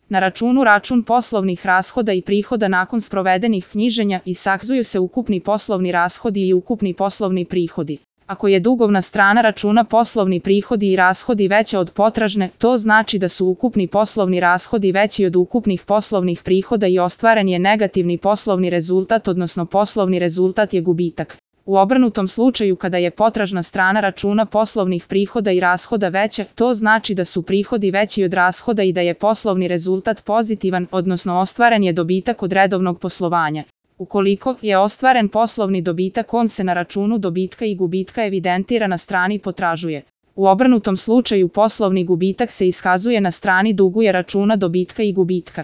Na računu račun poslovnih rashoda i prihoda nakon sprovedenih knjiženja iskazuju se ukupni poslovni rashodi i ukupni poslovni prihodi. Ako je dugovna strana računa poslovni prihodi i rashodi veća od potražne, to znači da su ukupni poslovni rashodi veći od ukupnih poslovnih prihoda i ostvaren je negativni poslovni rezultat, odnosno poslovni rezultat je gubitak. U obrnutom slučaju kada je potražna strana računa poslovnih prihoda i rashoda veća, to znači da su prihodi veći od rashoda i da je poslovni rezultat pozitivan, odnosno ostvaren je dobitak od redovnog poslovanja. Ukoliko je ostvaren poslovni dobitak, on se na računu dobitka i gubitka evidentira na strani potražuje. U obrnutom slučaju poslovni gubitak se iskazuje na strani duguje računa dobitka i gubitka.